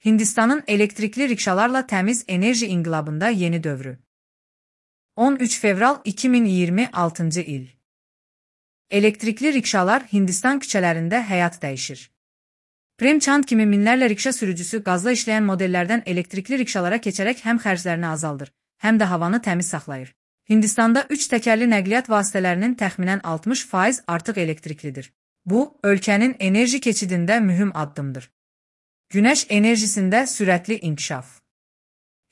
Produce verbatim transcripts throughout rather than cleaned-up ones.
Hindistanın elektrikli rikşalarla təmiz enerji inqilabında yeni dövrü. on üç fevral iki min iyirmi altıncı il. Elektrikli rikşalar Hindistan küçələrində həyat dəyişir. Prem Chand kimi minlərlə rikşa sürücüsü qazla işləyən modellərdən elektrikli rikşalara keçərək həm xərclərini azaldır, həm də havanı təmiz saxlayır. Hindistanda üç təkərli nəqliyyat vasitələrinin təxminən altmış faiz artıq elektriklidir. Bu, ölkənin enerji keçidində mühüm addımdır. Günəş enerjisində sürətli inkişaf.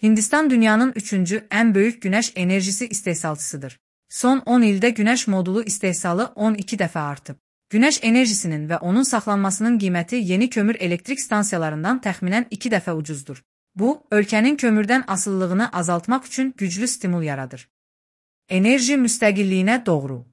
Hindistan dünyanın üçüncü ən böyük günəş enerjisi istehsalçısıdır. Son on ildə günəş modulu istehsalı on iki dəfə artıb. Günəş enerjisinin və onun saxlanmasının qiyməti yeni kömür elektrik stansiyalarından təxminən iki dəfə ucuzdur. Bu, ölkənin kömürdən asılılığını azaltmaq üçün güclü stimul yaradır. Enerji müstəqilliyinə doğru.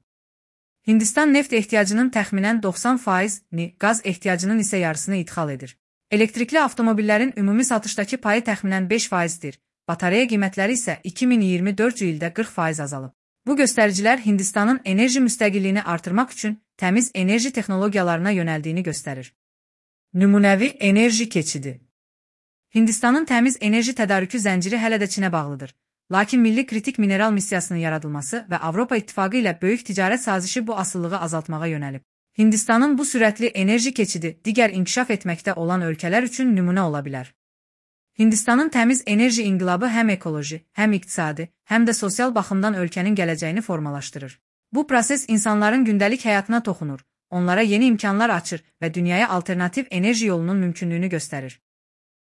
Hindistan neft ehtiyacının təxminən doxsan faizini, qaz ehtiyacının isə yarısını idxal edir. Elektrikli avtomobillərin ümumi satışdakı payı təxminən beş faizdir, batareya qiymətləri isə iki min iyirmi dördüncü ildə qırx faiz azalıb. Bu göstəricilər Hindistanın enerji müstəqilliyini artırmaq üçün təmiz enerji texnologiyalarına yönəldiyini göstərir. Nümunəvi enerji keçidi. Hindistanın təmiz enerji tədarükü zənciri hələ də Çinə bağlıdır. Lakin milli kritik mineral missiyasının yaradılması və Avropa İttifaqı ilə böyük ticarət sazişi bu asılılığı azaltmağa yönəlib. Hindistanın bu sürətli enerji keçidi digər inkişaf etməkdə olan ölkələr üçün nümunə ola bilər. Hindistanın təmiz enerji inqilabı həm ekoloji, həm iqtisadi, həm də sosial baxımdan ölkənin gələcəyini formalaşdırır. Bu proses insanların gündəlik həyatına toxunur, onlara yeni imkanlar açır və dünyaya alternativ enerji yolunun mümkünlüyünü göstərir.